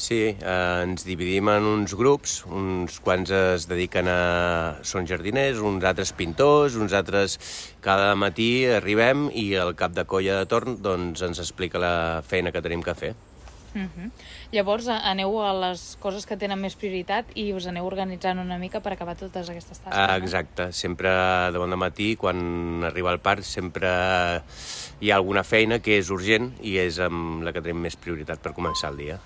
Sí, ens dividim en uns grups, uns quants es dediquen són jardiners, uns altres pintors, uns altres... Cada matí arribem i el cap de colla de torn doncs, ens explica la feina que tenim que fer. Llavors aneu a les coses que tenen més prioritat i us aneu organitzant una mica per acabar totes aquestes tasques. Exacte, sempre de bon matí, quan arriba el parc, sempre hi ha alguna feina que és urgent i és amb la que tenim més prioritat per començar el dia.